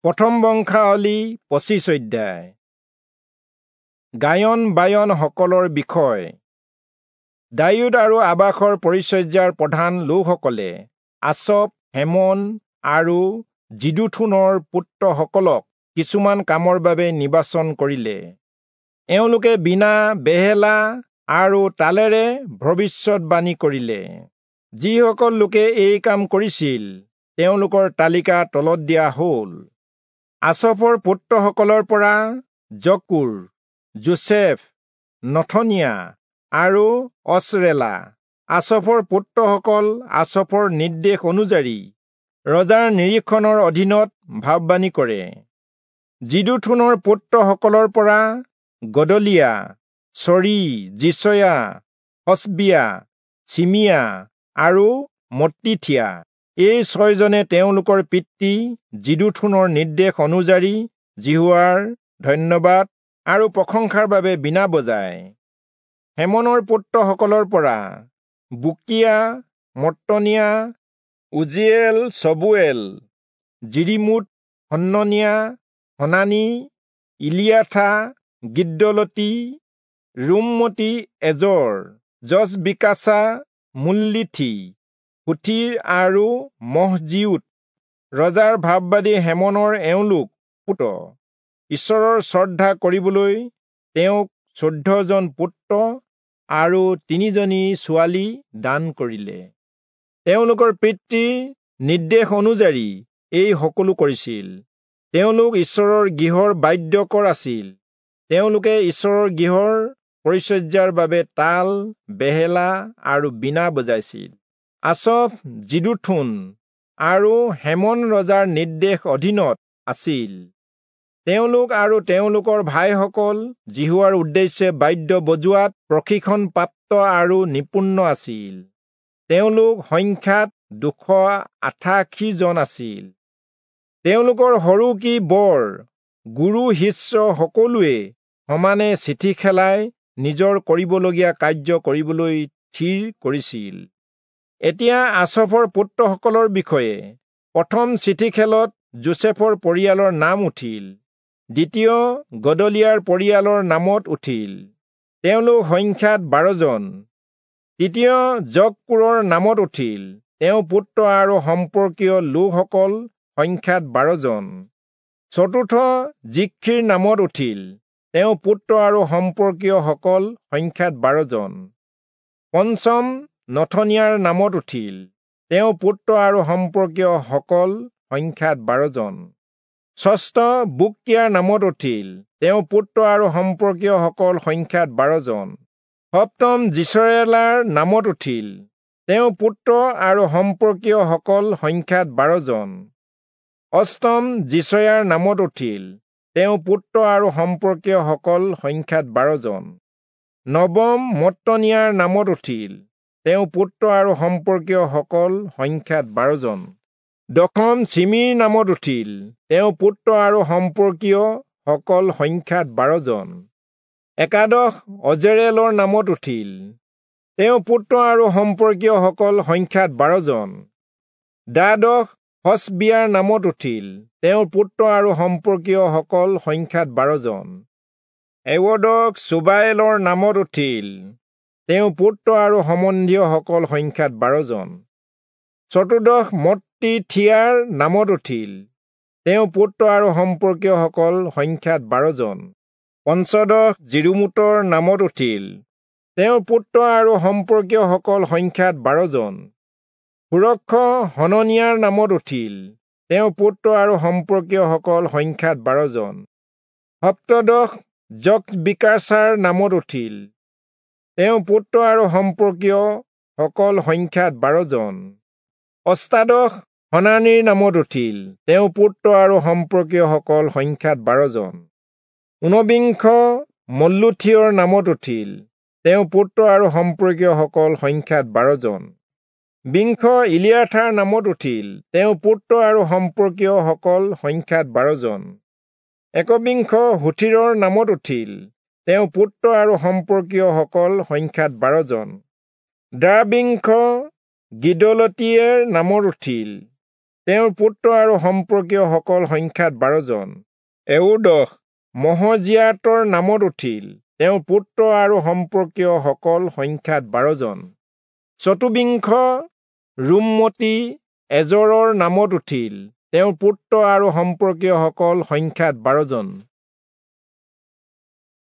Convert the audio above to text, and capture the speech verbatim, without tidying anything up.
প্ৰথম বংশাৱলী পঁচিছ অধ্যায়। গায়ন বায়ন সকলৰ বিষয়। দায়ূদ আৰু আবাসৰ পৰিচৰ্যাৰ প্ৰধান লোকসকলে আচফ, হেমন আৰু যিদুথূনৰ পুত্ৰসকলক কিছুমান কামৰ বাবে নিৰ্বাচন কৰিলে। এওঁলোকে বীণা, বেহেলা আৰু তালেৰে ভৱিষ্যতবাণী কৰিলে। যিসকল লোকে এই কাম কৰিছিল তেওঁলোকৰ তালিকা তলত দিয়া হ'ল। আচফৰ পুত্ৰসকলৰ পৰা জক্কুৰ, যোচেফ, নথনিয়া আৰু অচৰেলা। আচফৰ পুত্ৰসকল আচফৰ নিৰ্দেশ অনুযায়ী ৰজাৰ নিৰীক্ষণৰ অধীনত ভাববাণী কৰে। যিদুথূনৰ পুত্ৰসকলৰ পৰা গদলিয়া, চৰি, যিচয়া, হচবিয়া, চিমিয়া আৰু মত্তিথিয়া। এই ছয়জনে তেওঁলোকৰ পিতৃ যিদুথূনৰ নিৰ্দেশ অনুযায়ী যিহোৱাৰ ধন্যবাদ আৰু প্ৰশংসাৰ বাবে বীণা বজায়। হেমনৰ পুত্ৰসকলৰ পৰা বুকীয়া, মত্তনিয়া, উজিয়েল, চবুৱেল, যিৰিমোত, হন্ননিয়া, হনানি, ইলিয়াথা, গিদ্দলতি, ৰোমমতি এজৰ, যচবিকাচা, মুল্লিথি, হোথীৰ আৰু মহজিয়োত। ৰজাৰ ভাববাদী হেমনৰ এওঁলোক পুত্ৰ। ঈশ্বৰৰ শ্ৰদ্ধা কৰিবলৈ তেওঁক চৈধ্যজন পুত্ৰ আৰু তিনিজনী ছোৱালী দান কৰিলে। তেওঁলোকৰ পিতৃৰ নিৰ্দেশ অনুযায়ী এই সকলো কৰিছিল। তেওঁলোক ঈশ্বৰৰ গৃহৰ বাদ্যকৰ আছিল। তেওঁলোকে ঈশ্বৰৰ গৃহৰ পৰিচৰ্যাৰ বাবে তাল, বেহেলা আৰু বীণা বজাইছিল। আচফ, যিদুথূন আৰু হেমন ৰজাৰ নিৰ্দেশ অধীনত আছিল। তেওঁলোক আৰু তেওঁলোকৰ ভাইসকল যিহোৱাৰ উদ্দেশ্যে বাদ্য বজোৱাত প্ৰশিক্ষণপ্ৰাপ্ত আৰু নিপুণ আছিল। তেওঁলোক সংখ্যাত দুশ আঠাশী জন আছিল। তেওঁলোকৰ সৰু কি বৰ, গুৰু শিষ্য সকলোৱে সমানে চিঠি খেলাই নিজৰ কৰিবলগীয়া কাৰ্য কৰিবলৈ থিৰ কৰিছিল। এতিয়া আচফৰ পুত্ৰসকলৰ বিষয়ে প্ৰথম চিঠি খেলত যোচেফৰ পৰিয়ালৰ নাম উঠিল, দ্বিতীয় গদলিয়াৰ পৰিয়ালৰ নামত উঠিল। তেওঁলোক সংখ্যাত বাৰজন। তৃতীয় জক্কুৰৰ নামত উঠিল, তেওঁ পুত্ৰ আৰু সম্পৰ্কীয় লোকসকল সংখ্যাত বাৰজন। চতুৰ্থ জিখ্ৰীৰ নামত উঠিল, তেওঁ পুত্ৰ আৰু সম্পৰ্কীয়সকল সংখ্যাত বাৰজন। পঞ্চম নথনিয়াৰ নামত উঠিল, তেওঁ পুত্ৰ আৰু সম্পৰ্কীয়সকল সংখ্যাত বাৰজন। ষষ্ঠ বুক্কিয়াৰ নামত উঠিল, তেওঁ পুত্ৰ আৰু সম্পৰ্কীয়সকল সংখ্যাত বাৰজন। সপ্তম যিচৰেলাৰ নামত উঠিল, তেওঁ পুত্ৰ আৰু সম্পৰ্কীয়সকল সংখ্যাত বাৰজন। অষ্টম যিচয়াৰ নামত উঠিল, তেওঁ পুত্ৰ আৰু সম্পৰ্কীয়সকল সংখ্যাত বাৰজন। নৱম মত্তনিয়াৰ নামত উঠিল, তেওঁ পুত্ৰ আৰু সম্পৰ্কীয়সকল সংখ্যাত বাৰজন। দশম চিমিৰ নামত উঠিল, তেওঁ পুত্ৰ আৰু সম্পৰ্কীয়সকল সংখ্যাত বাৰজন। একাদশ অজেৰেলৰ নামত উঠিল, তেওঁ পুত্ৰ আৰু সম্পৰ্কীয়সকল সংখ্যাত বাৰজন। দ্বাদশ হচবিয়াৰ নামত উঠিল, তেওঁৰ পুত্ৰ আৰু সম্পৰ্কীয়সকল সংখ্যাত বাৰজন। এৱদশ চুবায়েলৰ নামত উঠিল, তেওঁ পুত্ৰ আৰু সম্বন্ধীয়সকল সংখ্যাত বাৰজন। চতুৰ্দশ মত্তিথিয়াৰ নামত উঠিল, তেওঁ পুত্ৰ আৰু সম্পৰ্কীয়সকল সংখ্যাত বাৰজন। পঞ্চদশ যিৰিমোতৰ নামত উঠিল, তেওঁৰ পুত্ৰ আৰু সম্পৰ্কীয়সকল সংখ্যাত বাৰজন। ষোড়শ হননিয়াৰ নামত উঠিল, তেওঁৰ পুত্ৰ আৰু সম্পৰ্কীয়সকল সংখ্যাত বাৰজন। সপ্তদশ যচবিকাচাৰ নামত উঠিল, তেওঁ পুত্ৰ আৰু সম্পৰ্কীয়সকল সংখ্যাত বাৰজন। অষ্টাদশ হনানিৰ নামত উঠিল, তেওঁ পুত্ৰ আৰু সম্পৰ্কীয়সকল সংখ্যাত বাৰজন। ঊনবিংশ মল্লুথিয়ৰ নামত উঠিল, তেওঁ পুত্ৰ আৰু সম্পৰ্কীয়সকল সংখ্যাত বাৰজন। বিংশ ইলিয়াথাৰ নামত উঠিল, তেওঁ পুত্ৰ আৰু সম্পৰ্কীয়সকল সংখ্যাত বাৰজন। একবিংশ হোথীৰৰ নামত উঠিল, তেওঁ পুত্ৰ আৰু সম্পৰ্কীয়সকল সংখ্যাত বাৰজন। দ্বাবিংশ গিদলতীয়েৰ নামত উঠিল, তেওঁৰ পুত্ৰ আৰু সম্পৰ্কীয়সকল সংখ্যাত বাৰজন। এয়োদশ মহজিয়াতৰ নামত উঠিল। তেওঁৰ পুত্ৰ আৰু সম্পৰ্কীয়সকল সংখ্যাত বাৰজন। চতুৰ্বিংশ ৰুমমতি এজৰৰ নামত উঠিল। তেওঁৰ পুত্ৰ আৰু সম্পৰ্কীয়সকল সংখ্যাত বাৰজন।